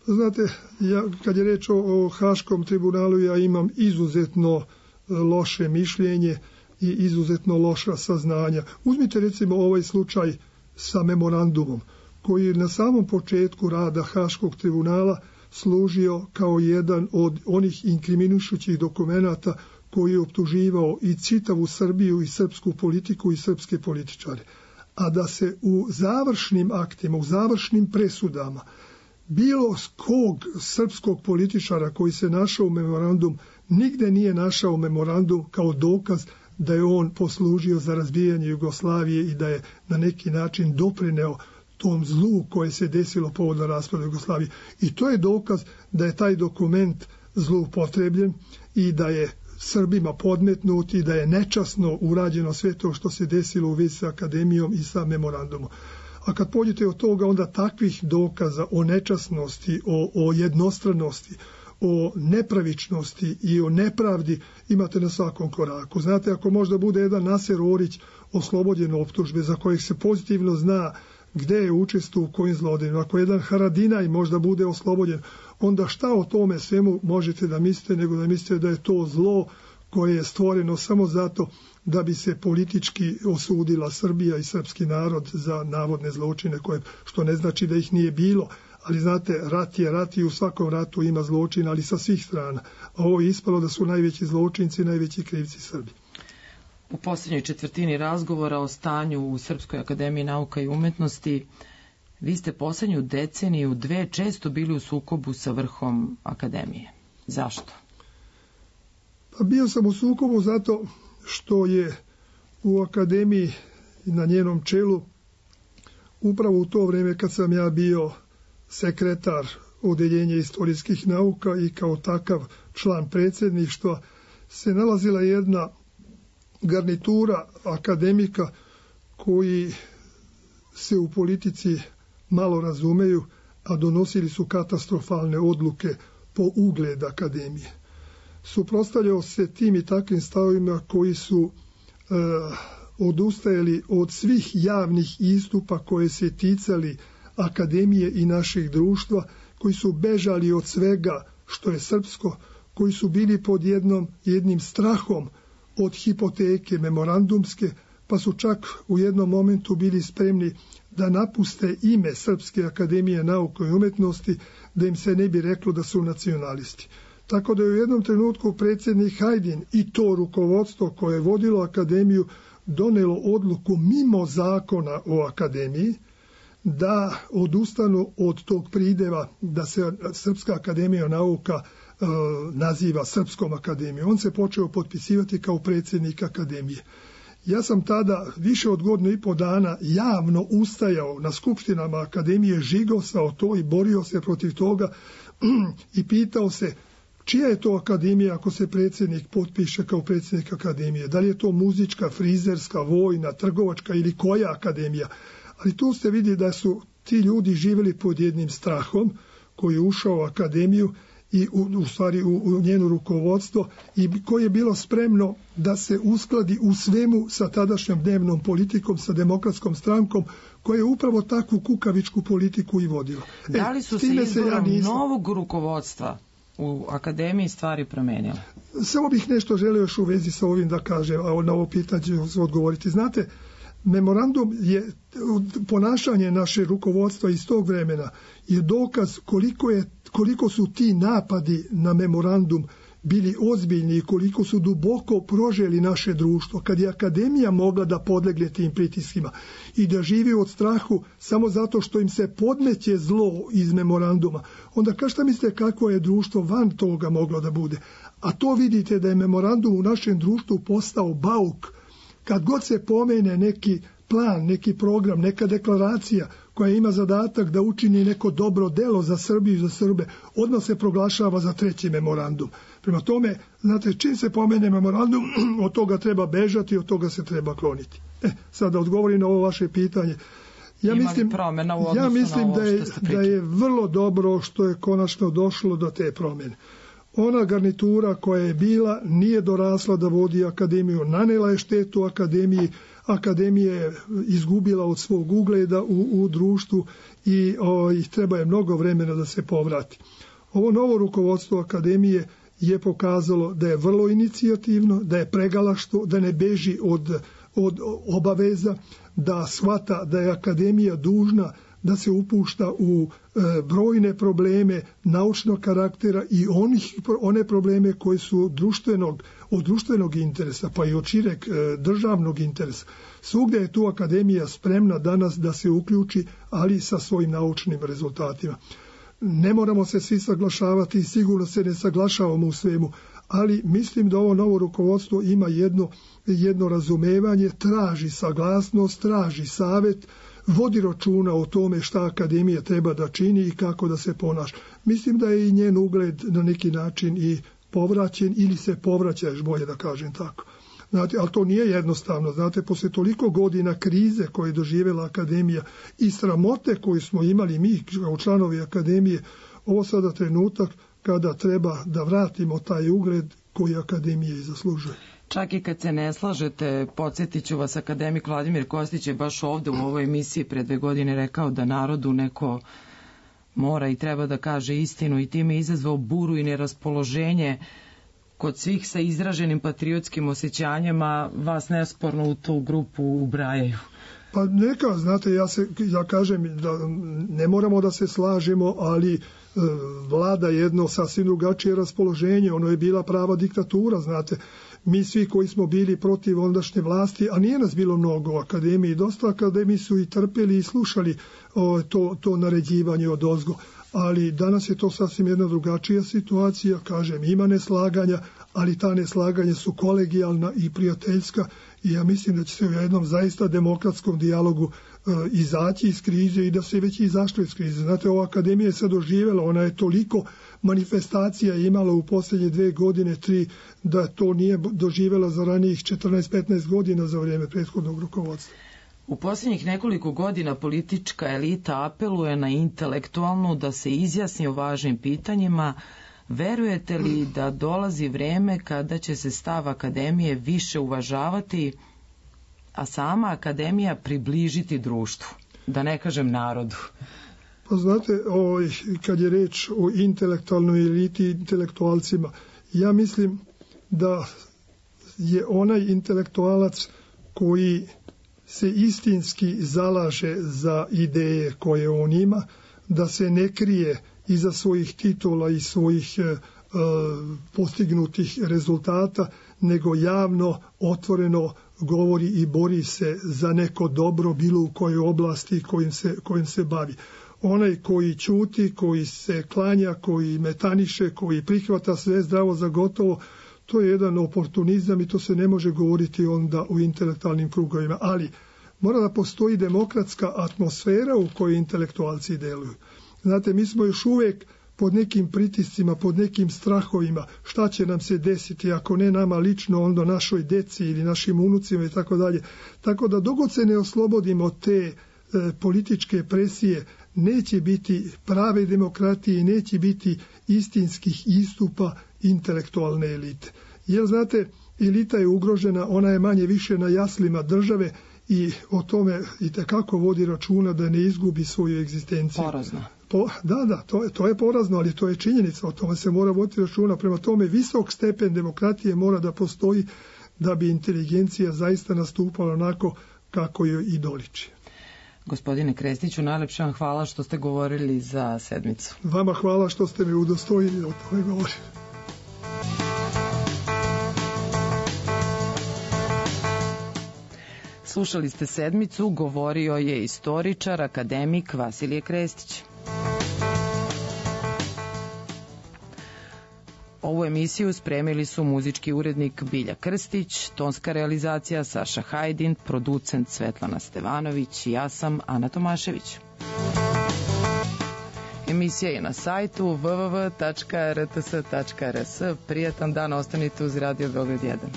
Znate, ja, kad je reč o, o Haškom tribunalu, ja imam izuzetno loše mišljenje i izuzetno loša saznanja. Uzmite recimo ovaj slučaj sa memorandumom, koji je na samom početku rada Haškog tribunala služio kao jedan od onih inkriminušućih dokumenata koji je optuživao i čitavu Srbiju i srpsku politiku i srpske političare. A da se u završnim aktima, u završnim presudama bilo kog srpskog političara koji se našao u memorandum, nigde nije našao memorandum kao dokaz da je on poslužio za razbijanje Jugoslavije i da je na neki način doprineo tom zlu koje se desilo povodom raspada Jugoslavije. I to je dokaz da je taj dokument zloupotrebljen i da je Srbima podmetnut i da je nečasno urađeno sve to što se desilo u vezi sa akademijom i sa memorandumom. A kad pođete od toga, onda takvih dokaza o nečasnosti, o, o jednostranosti, o nepravičnosti i o nepravdi imate na svakom koraku. Znate, ako možda bude jedan Naser Orić oslobođen optužbe za kojeg se pozitivno zna gde je učestvovao u kojim zlodejima, ako jedan Haradinaj možda bude oslobođen, onda šta o tome svemu možete da mislite, nego da mislite da je to zlo koje je stvoreno samo zato da bi se politički osudila Srbija i srpski narod za navodne zločine, koje, što ne znači da ih nije bilo, ali znate, rat je rat i u svakom ratu ima zločina, ali sa svih strana. A ovo je ispalo da su najveći zločinci, najveći krivci Srbi. U posljednjoj četvrtini razgovora o stanju u Srpskoj akademiji nauka i umetnosti, vi ste posljednju deceniju dve često bili u sukobu sa vrhom akademije. Zašto? Pa bio sam u sukobu zato što je u akademiji na njenom čelu upravo u to vrijeme kad sam ja bio sekretar odeljenja istorijskih nauka i kao takav član predsjedništva se nalazila jedna garnitura akademika koji se u politici malo razumeju, a donosili su katastrofalne odluke po ugled akademije. Suprotstavljao se tim i takvim stavovima koji su e, odustajali od svih javnih istupa koje se ticali akademije i naših društva, koji su bežali od svega što je srpsko, koji su bili pod jednom, jednim strahom od hipoteke memorandumske, pa su čak u jednom momentu bili spremni da napuste ime Srpske akademije nauke i umetnosti, da im se ne bi reklo da su nacionalisti. Tako da je u jednom trenutku predsjednik Hajdin i to rukovodstvo koje je vodilo akademiju donelo odluku mimo zakona o akademiji da odustanu od tog prideva da se Srpska akademija nauka e, naziva Srpskom akademijom. On se počeo potpisivati kao predsjednik akademije. Ja sam tada više od godinu i po dana javno ustajao na skupštinama akademije, žigosao to i borio se protiv toga i pitao se čija je to akademija ako se predsjednik potpiše kao predsjednik akademije. Da li je to muzička, frizerska, vojna, trgovačka ili koja akademija? Ali tu ste vidi da su ti ljudi živjeli pod jednim strahom koji je ušao u akademiju i u, u stvari u, u njeno rukovodstvo i koje je bilo spremno da se uskladi u svemu sa tadašnjom dnevnom politikom, sa demokratskom strankom koja je upravo takvu kukavičku politiku i vodila. Da li su e, se izborom ja nisam... novog rukovodstva u akademiji stvari promenile? Samo bih nešto želio još u vezi sa ovim da kažem, a na ovo pitanje ću odgovoriti. Znate, memorandum je, ponašanje naše rukovodstva iz tog vremena je dokaz koliko, je, koliko su ti napadi na memorandum bili ozbiljni i koliko su duboko proželi naše društvo. Kad je akademija mogla da podlegne tim pritiskima i da živi od strahu samo zato što im se podmeće zlo iz memoranduma, onda kao šta mislite kako je društvo van toga moglo da bude? A to vidite da je memorandum u našem društvu postao bauk. Kad god se pomene neki plan, neki program, neka deklaracija koja ima zadatak da učini neko dobro delo za Srbiju i za Srbe, odmah se proglašava za treći memorandum. Prema tome, znate, čim se pomene memorandum, od toga treba bežati, od toga se treba kloniti. E, sad da odgovorim na ovo vaše pitanje. Ja Ima mislim, ja mislim da je, da je vrlo dobro što je konačno došlo do te promjene. Ona garnitura koja je bila nije dorasla da vodi akademiju, nanela je štetu akademiji, akademija je izgubila od svog ugleda u, u društvu i o, i treba je mnogo vremena da se povrati. Ovo novo rukovodstvo akademije je pokazalo da je vrlo inicijativno, da je pregalaštvo, da ne beži od, od obaveza, da shvata da je akademija dužna da se upušta u e, brojne probleme naučnog karaktera i onih, one probleme koji su društvenog, od društvenog interesa, pa i od šireg e, državnog interesa. Svugdje je tu akademija spremna danas da se uključi, ali sa svojim naučnim rezultatima. Ne moramo se svi saglašavati i sigurno se ne saglašavamo u svemu, ali mislim da ovo novo rukovodstvo ima jedno, jedno razumevanje, traži saglasnost, traži savjet, vodi računa o tome šta akademija treba da čini i kako da se ponaša. Mislim da je i njen ugled na neki način i povraćen ili se povraća, još bolje da kažem tako. Znate, ali to nije jednostavno. Znate, posle toliko godina krize koje je doživjela akademija i sramote koju smo imali mi kao članovi akademije, ovo sada trenutak kada treba da vratimo taj ugled koji akademija i zaslužuje. Čak i kad se ne slažete, podsjetit ću vas, akademik Vladimir Kostić je baš ovde u ovoj emisiji pre dve godine rekao da narodu neko mora i treba da kaže istinu i time izazvao buru i neraspoloženje kod svih sa izraženim patriotskim osjećanjima, vas nesporno u tu grupu ubrajaju. Pa neka, znate, ja, se, ja kažem da ne moramo da se slažemo, ali e, vlada jedno sasvim drugačije raspoloženje, ono je bila prava diktatura, znate. Mi svi koji smo bili protiv ondašnje vlasti, a nije nas bilo mnogo u akademiji, dosta akademiji su i trpeli i slušali o, to, to naređivanje od ozgo, ali danas je to sasvim jedna drugačija situacija, kažem, ima neslaganja, ali ta neslaganja su kolegijalna i prijateljska i ja mislim da će se u jednom zaista demokratskom dijalogu e, izaći iz krize i da se već izašlo iz krize. Znate, ova akademija je sad doživjela, ona je toliko manifestacija imala u posljednje dve godine, tri, da to nije doživjela za ranijih četrnaest petnaest godina za vrijeme prethodnog rukovodstva. U posljednjih nekoliko godina politička elita apeluje na intelektualnu da se izjasni o važnim pitanjima. Verujete li da dolazi vreme kada će se stav akademije više uvažavati, a sama akademija približiti društvu, da ne kažem narodu? Pa znate, ovaj, kad je reč o intelektualnoj eliti, intelektualcima, ja mislim da je onaj intelektualac koji se istinski zalaže za ideje koje on ima, da se ne krije iza svojih titula i svojih e, postignutih rezultata, nego javno, otvoreno govori i bori se za neko dobro, bilo u kojoj oblasti kojim se, kojim se bavi. Onaj koji ćuti, koji se klanja, koji metaniše, koji prihvata sve zdravo za gotovo, to je jedan oportunizam i to se ne može govoriti onda u intelektualnim krugovima. Ali mora da postoji demokratska atmosfera u kojoj intelektualci deluju. Znate, mi smo još uvijek pod nekim pritiscima, pod nekim strahovima, šta će nam se desiti, ako ne nama lično, onda našoj deci ili našim unucima i tako dalje. Tako da dogod se ne oslobodimo te e, političke presije, neće biti prave demokratije i neće biti istinskih istupa intelektualne elite. Jer, znate, elita je ugrožena, ona je manje više na jaslima države i o tome itekako vodi računa da ne izgubi svoju egzistenciju. Porazno. Po, da, da, to je, to je porazno, ali to je činjenica, o tome se mora voditi računa. Prema tome, visok stepen demokratije mora da postoji da bi inteligencija zaista nastupala onako kako joj i doliči. Gospodine Krestiću, najlepše vam hvala što ste govorili za sedmicu. Vama hvala što ste mi udostojili o tome govorili. Slušali ste sedmicu, govorio je istoričar, akademik Vasilije Krestić. Ovu emisiju spremili su muzički urednik Bilja Krstić, tonska realizacija Saša Hajdin, producent Svetlana Stevanović i ja sam Ana Tomašević. Emisija je na sajtu w w w tačka r t s tačka r s. Prijatan dan, ostanite uz Radio Beograd jedan.